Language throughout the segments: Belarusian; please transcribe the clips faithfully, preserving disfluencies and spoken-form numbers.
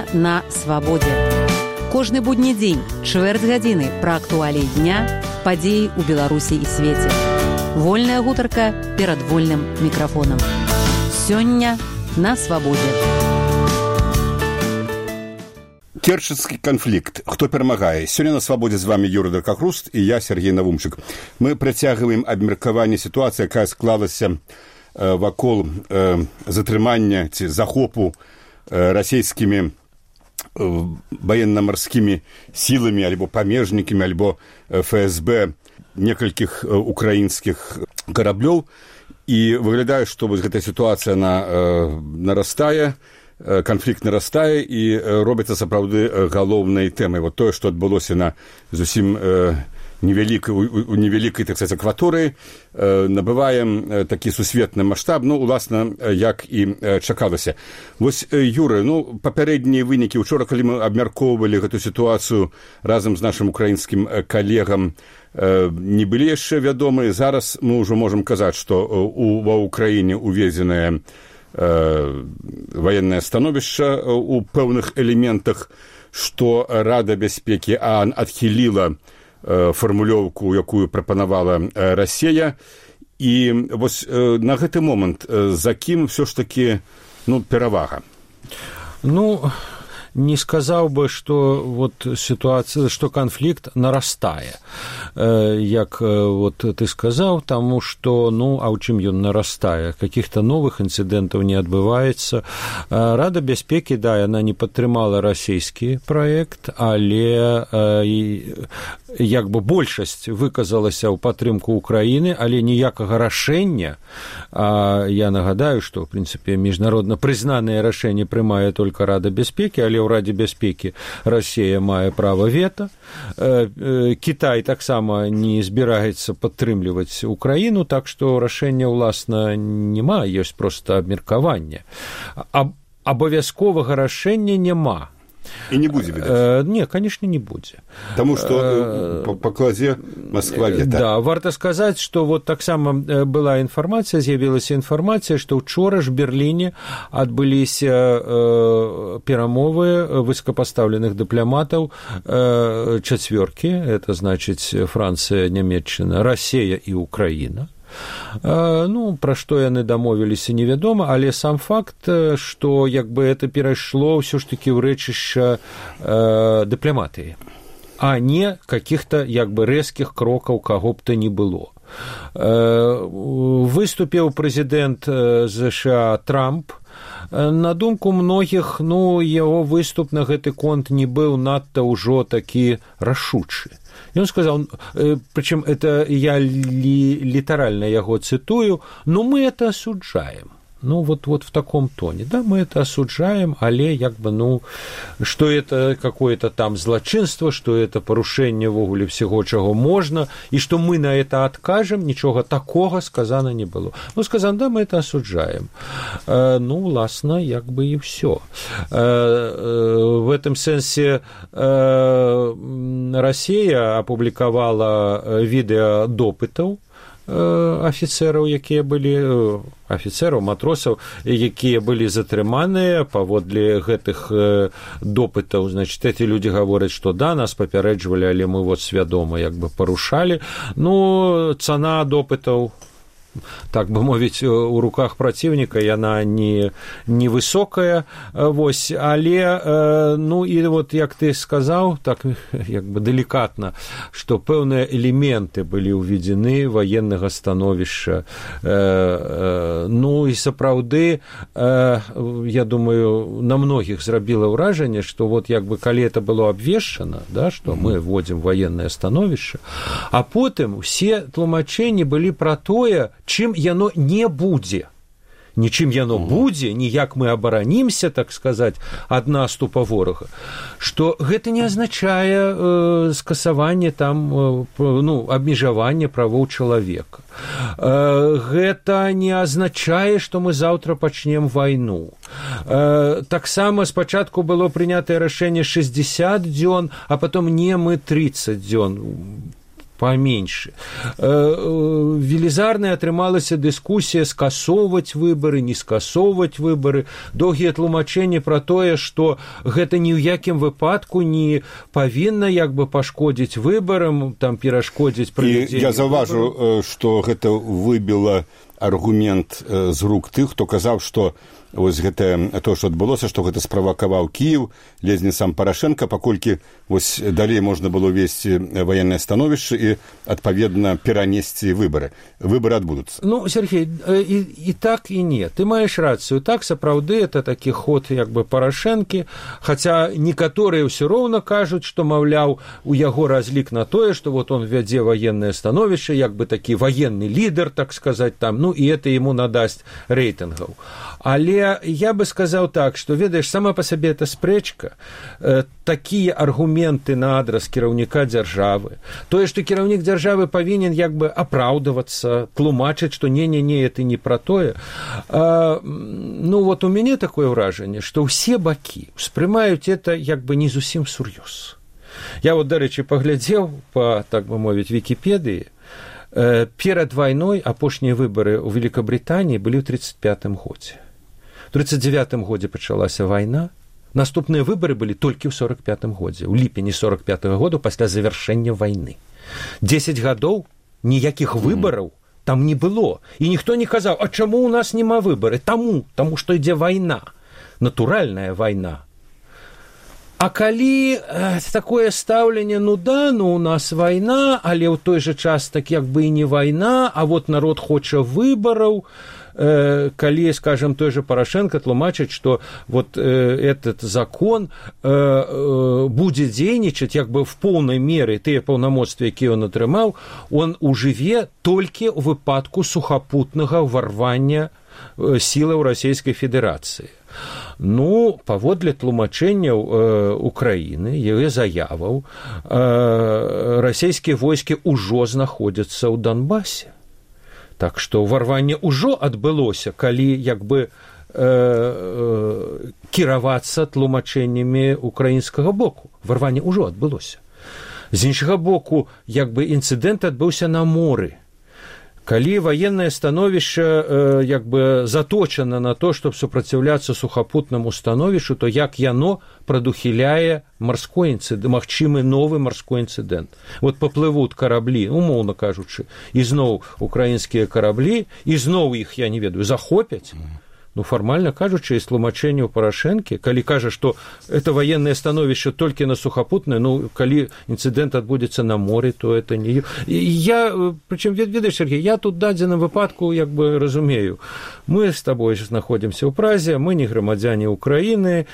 Сёння на свабодзе. Кожны будні дзень, чвэрць гадзіны пра актуаліі дня, падзеі ў Беларусі і свеце. Вольная гутарка перад вольным мікрафонам. Сёння на свабодзе. Керченскі канфлікт. Хто перамагае? Сёння на свабодзе з вами Юрый Даркахруст і я, Сергей Навумчык. Мы працягваем абмеркаванне сітуацыі, якая склалася э, вакол э, затрымання ці захопу э, расійскімі военно-морскими силами, альбо памежниками, альбо эф эс бэ некалькіх украінскіх караблёў. І выглядае, што вось гэтая сітуацыя на, э, нарастае, э, канфлікт нарастае і э, робіцца сапраўды галоўнай тэмай. Вот тое, што адбылося на зусім э, невялікай, у, у невялікай, так сказаць, акваторыі, э, набывае э, такі сусветны маштаб, ну, уласна, як і э, чакалася. Вось, э, Юры, ну, папярэднія вынікі, учора, калі мы абмяркоўвалі гэту сітуацыю разам з нашым украінскім э, калегам, э, не былі яшчэ вядомыя. Зараз мы ўжо можам казаць, што э, у, ва ўкраіне уведзенае э, ваеннае становішча э, у пэўных элементах, што Рада бяспекі ААН адхіліла фармулёўку, якую прапанавала Расія. І вось на гэты момант за кім ўсё ж такі, ну, перавага? Ну, не сказаў бы, што вот сітуацыя, што канфлікт нарастае. Як вот ты сказаў, таму што, ну, а ў чым ён нарастае? Какіх-то новых інцыдэнтаў не адбываецца. Рада бяспекі, да, яна не падтрымала расійскі праект, але як бы большасць выказалася ў падтрымку Украіны, але ніякага рашэння, а я нагадаю, што, в прынцыпе, міжнародна прызнанае рашэнне прымае толькі Рада бяспекі, але ў Радзе бяспекі Расія мае права вета. Кітай таксама не збіраецца падтрымліваць Украіну, так што рашэння, уласна, няма, ёсць проста абмеркаванне. Абавязковага рашэння няма. І не будзе, відаць? Не, конечно, не будзе. Таму што па кладзе Москва вета. Да, варта сказаць, што вот таксама была інфармацыя, з'явілася інфармацыя, што ўчора ж в Берліне адбыліся перамовы высокапастаўленых дыпламатаў чацвёркі, это значыць Францыя, Нямецчына, Расія і Украіна. Ну, пра што яны дамовіліся, невядома, але сам факт, што як бы это перайшло ўсё ж такі ў рэчышча э, дыпламатыі, а не каких-то як бы рэзкіх крокаў каго б то не было. Э, выступіў прэзідэнт ЗША Трамп. На думку многіх, ну, яго выступ на гэты конт не быў надта ўжо такі рашучы. Ён сказаў, причем это я ли, литерально яго цитую, но мы это осуждаем. Ну, вот, вот в таком тоне. Да, мы это осуждаем, але, як бы, ну, что это какое-то там злочинство, что это порушение вогуле всего, чего можно, и что мы на это откажем, ничего такого сказано не было. Ну, сказано, да, мы это осуждаем. Э, ну, власне, як бы и все. Э, э, в этом сенсе э, Россия опубликовала видео допытов афіцэраў, якія былі, афіцэраў, матросаў, якія былі затрыманыя паводле гэтых допытаў. Значит, эти люди говорят, что да, нас папярэджвалі, але мы вот свядома як бы парушалі. Ну, цана допытаў, так бы мовіць, у руках праціўніка яна не, не высокая, вось, але, ну, і вот, як ты сказаў, так, як бы делікатна, што пэўныя элементы былі ўведзены ваеннага становішча. Ну, і сапраўды, я думаю, на многіх зрабіла ўражанне, што вот, як бы, калі это было абвешчана, да, што мы вводзім ваеннае становішча, а потым усе тлумачэнні былі пра тое, чым яно не будзе. Нічым яно будзе, ніяк мы абаранімся, так сказаць, ад наступа ворага. Што гэта не азначае э, скасаванне там, э, ну, абмежаванне правоў чалавека. Э, гэта не азначае, што мы заўтра пачнем вайну. Э, таксама спачатку было прынятае рашэнне шэсцьдзесят дзён, а потом не мы тридцать дзён. паменьше. Велізарная атрымалася дыскусія скасоўваць выбары, не скасоўваць выбары, доўгія тлумачэнні пра тое, што гэта ні ў якім выпадку не павінна як бы пашкодзіць выбарам, там перашкодзіць правядзенню. Я заўважу, што гэта выбіла аргумент з рук тых, хто казаў, што вось гэта то, што адбылося, што гэта справакаваў Кіеў, ледзь не сам Парашенко, паколькі вось далей можна было весці ваеннае становішча і адпаведна перанесці выбары. Выбары адбудуцца. Ну, Сергей, і, і так і не. Ты маеш рацыю. Так, сапраўды, это такі ход як бы Парашэнкі, хаця некаторыя ўсё роўна кажуць, што, маўляў, у яго разлік на тое, што вот он вядзе ваеннае становішча, як бы такі ваенны лідар, так сказаць, там, ну, і это ему надасць рэйтынгаў. Але я бы сказаў так, што, ведаеш, сама па сабе эта спрэчка, э, такія аргументы на адрас кіраўніка дзяржавы, тое, што кіраўнік дзяржавы павінен як бы апраўдавацца, тлумачыць, што не-не-не, это не пра тое. А, ну, вот у мяне такое ўражанне, што ўсе бакі ўспрымаюць это як бы не зусім сур'ёз. Я вот, дарэчы, паглядзеў па, так бы мовіць, Вікіпедыі, э, перад вайной апошнія выбары ў Великабрытаніі былі ў тридцать пятым годзе. У тридцать девятым годзе пачалася вайна, наступныя выбары былі толькі ў сорок пятым годзе, у ліпені сорок пятага году пасля завяршэння вайны. Дзесяць гадоў ніякіх выбараў там не было. І ніхто не казаў, а чаму ў нас няма выбары? Таму, таму што ідзе вайна, натуральная вайна. А калі э, такое стаўленне, ну да, ну у нас вайна, але ў той жа час так як бы і не вайна, а вот народ хоча выбараў, калі, скажем, той же Порошенко тлумачыць, што вот э, этот закон э, э, будзе дзейнічаць як бы в полной меры тыя паўнамоцтвы, якія ён атрымаў, он ужыве толькі ў выпадку сухапутнага ўварвання э, сілаў Расійскай Федэрацыі. Ну, паводле тлумачэнняў э, Украіны, яе заяваў, э, расійскія войскі ўжо знаходзяцца ў Донбасе. Так што ўварванне ўжо адбылося, калі як бы э, э, кіравацца тлумачэннямі украінскага боку. Варванне ўжо адбылося. З іншага боку, як бы інцыдэнт адбыўся на моры. Калі ваеннае становішча э, як бы заточана на то, чтобы супраціўляцца сухапутнаму становішчу, то як яно прадухіляе марской інцыдэнт, магчымы новы марской інцыдэнт. Вот паплывуць караблі, умоўна кажучы, і зноў украінскія караблі, і зноў іх, я не ведаю, захопяць. Ну, фармальна кажучы, з тлумачэнняў Парашэнкі, калі кажа, што это военное становішча толькі на сухапутнае, ну, калі інцыдэнт адбудзецца на моры, то это не... І я, прычым, ведаеш, Сергей, я тут дадзеным выпадку, як бы, разумею, мы з табой знаходзімся ў Празе, мы не грамадзяне Украіны,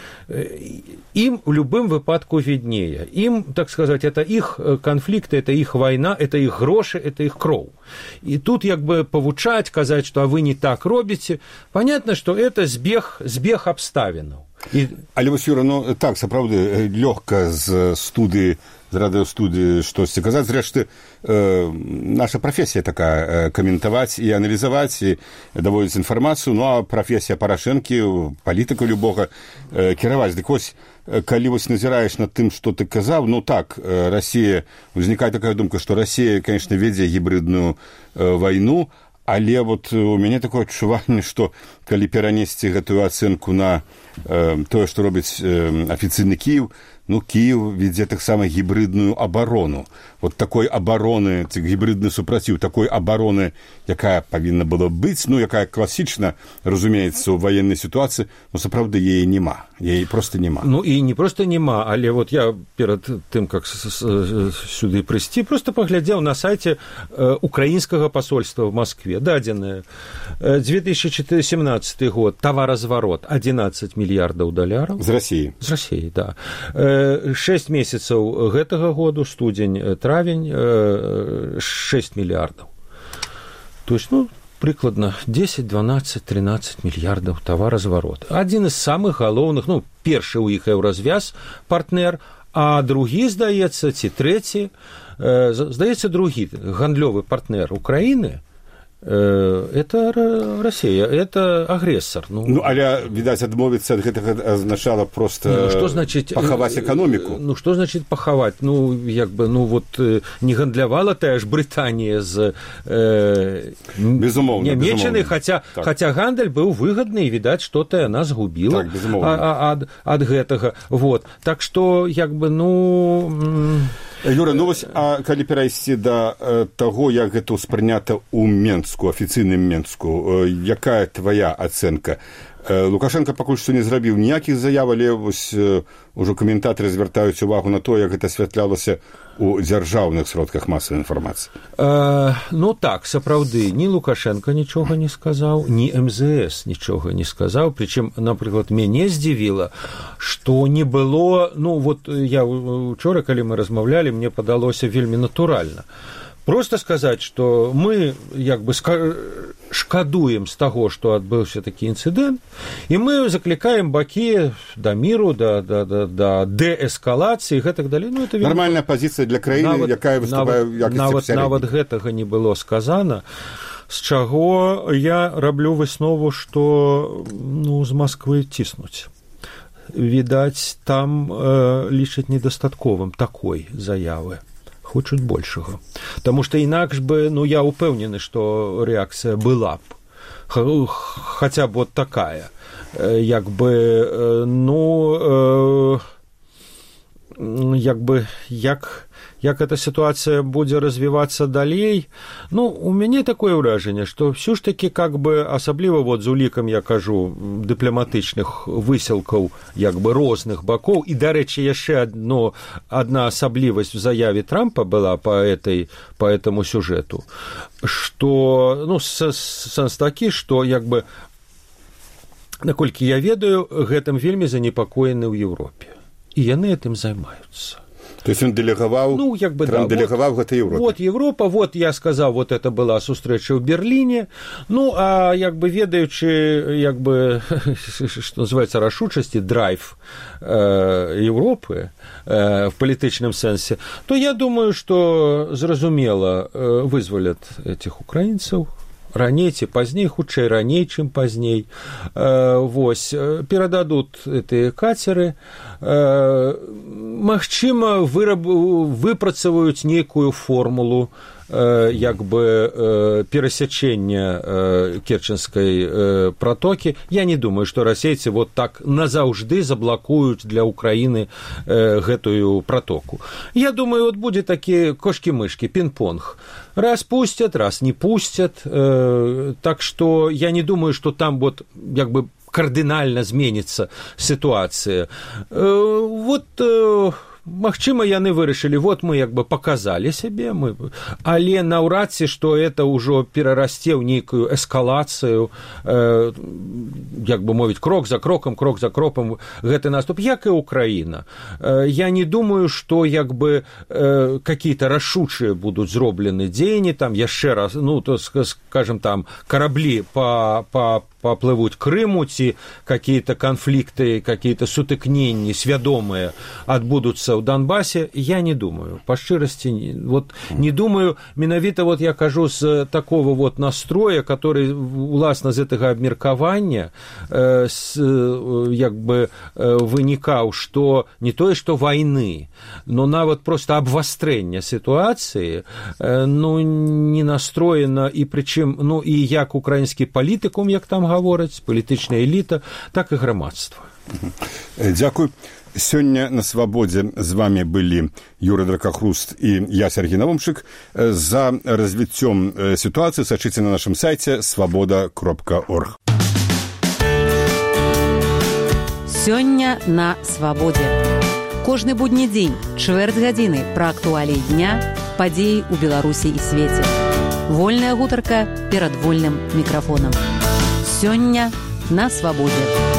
ім у любым выпадку віднее. Ім, так сказаць, это іх канфлікты, это іх вайна, это іх грошы, это іх кроў. І тут, як бы, павучаць, казаць, што а вы не так робіце, понятно, што это збег, збег абставінаў. І... Але вось, Юра, ну так, сапраўды, лёгка з студыі, з радыёстудыі штосьці казаць. Зрэшты, э, наша прафесія такая, э, каментаваць і аналізаваць, і даводзіць інфармацыю, ну а прафесія Парашэнкі, палітыка любога, э, кіраваць. Дык вось, калі вось назіраеш над тым, што ты казаў, ну так, э, Расія, узнікае такая думка, што Расія, конечно, вядзе гібридную э, вайну, але вот у мяне такое адчуванне, што калі перанесці гэтую ацэнку на э, тое, што робіць э, афіцыйны Кіеў, ну, Киев ведзе таксама гібридную абарону. Вот такой абароны, гібридны супраціў, такой абароны, якая павінна была быць, ну, якая класічна, разумеецца, у военной ситуации, ну, сапраўды, яе нема. Яе просто нема. Ну, і не просто нема, але вот я перад тым, как сюды прыйсці, просто паглядзеў на сайце украінскага посольства в Москве, дадзенае. две тысячи семнадцатый год, товарозварот одиннадцать миллиардов долларов. З России. З России, да. шесть месяцаў гэтага году, студзень, травень, шесть миллиардов. То есть, ну, прыкладна десять, двенадцать, тринадцать миллиардов товарозварот. Один из самых галоўных, ну, першы ў іх еўразвяз партнер, а другі, здаецца, ці трэці, здаецца, другі гандлёвы партнер Украіны, Это Россия, это агрессор. Ну, ну але, відаць, адмовіцца ад гэтага азначала просто ну, што значыць, пахаваць эканоміку. Ну, што значыць пахаваць? Ну, як бы, ну, вот, не гандлявала тая ж Брытанія з э, безумоўна, Нямеччынай, хаця, так. хаця гандаль быў выгадны, і, відаць, што-то яна згубіла так, ад, ад гэтага. Вот. Так што, як бы, ну... Юра, ну вось, а калі перайсці да э, таго, як гэта ўспрынята ў Менску, афіцыйным Менску, э, якая твая ацэнка? Э, Лукашенко пакуль што не зрабіў ніякіх заяў, але вось э, ужо каментатары звяртаюць увагу на то, як гэта асвятлялася у дзяржаўных сродках масавай інфармацыі. Э, ну так, сапраўды, ні Лукашенко нічога не сказаў, ні эм зэ эс нічога не сказаў, прычым, напрыклад, мяне здзівіла, што не было, ну вот я учора, калі мы размаўлялі, мне падалося вельмі натуральна. Просто сказаць, што мы як бы шкадуем з таго, што адбыўся такі інцыдэнт, і мы заклікаем бакі да міру, да, да, да, да дээскалацыі, гэтак далей. Ну, это нармальная пазіцыя для краіны, нават, якая выступае ў якасці нават, сярэдняй. Нават гэтага не было сказана, з чаго я раблю выснову, што ну, з Масквы ціснуць. Відаць, там э, лічаць недастатковым такой заявы. Хочуць большага. Таму што інакш бы, ну, я ўпэўнены, што рэакцыя была б. Хаця б вот такая. Як бы, ну, як бы, як... як эта ситуация будет развиваться далей, ну, у меня такое ўражанне, что все ж таки, как бы, асабліва вот з улікам, я кажу, дыпламатычных высілкаў, як бы, розных бакоў, і, дарэчы, яшчэ одно, одна асаблівасць в заяве Трампа была по, этой, по этому сюжету, что, ну, сэнс такі, что, як бы, наколькі я ведаю, гэтым вельмі занепакоены ў Европе, і яны этим займаюцца. То есть он делегаваў, ну, як бы, Трамп да, делегаваў вот, гэта Европе. Вот Европа, вот я сказал, вот это была сустрэча ў Берліне. Ну, а як бы ведаючы, як бы, что называется, рашучасці, драйв э, Европы э, в палітычным сэнсе, то я думаю, что зразумела э, вызвалят этих украінцаў, раней ці пазней, хутчэй раней, чым пазней. Э, вось, перададут гэтыя кацеры, э, магчыма, выраб, выпрацаваюць нейкую формулу э, як бы э, перасячэння э, Керченскай э, протокі. Я не думаю, што расейцы вот так назаўжды заблакуюць для Украіны э, гэтую протоку. Я думаю, вот будзе такі кошкі-мышкі, пінг-понг. Раз пустят, раз не пустят. Э, так что я не думаю, что там вот як бы кардынальна зменіцца сітуацыя. Э, вот... Э, Магчыма, яны вырашылі, вот мы як бы показалі сябе, мы... але наўрад ці, што это ўжо перарасце ў нейкую эскалацыю, э, як бы мовіць, крок за крокам, крок за крокам гэты наступ, як і Украіна. Э, я не думаю, што як бы э, какие-то рашучыя будуць зроблены дзеянні, там яшчэ раз, ну, то, скажем, там, караблі па, па поплывуть к Крыму, ці какие-то конфликты, какие-то сутыкненні свядомыя адбудуцца ў Донбассе, я не думаю. Па шчырасці, вот не думаю, менавіта вот я кажу з такого вот настроя, который уласна з гэтага абмеркавання э, с, як бы э, вынікаў, што не тое, што вайны, но нават просто абвастрэння сітуацыі, э, ну, не настроена, і прычым, ну, і як украінскі палітыкум, як там гавораць, палітычная эліта, так і грамадства. Дзякуй. Сёння на свабодзе з вами былі Юра Дракахруст і я, Сергей Навумшык. За развіццём сітуацыі сачыце на нашым сайце свабода кропка орг. Сёння на свабодзе. Кожны будні дзень, чвэрць гадзіны пра актуаліі дня, падзеі ў Беларусі і свеце. Вольная гутарка перад вольным мікрафонам. Сёння на свабодзе.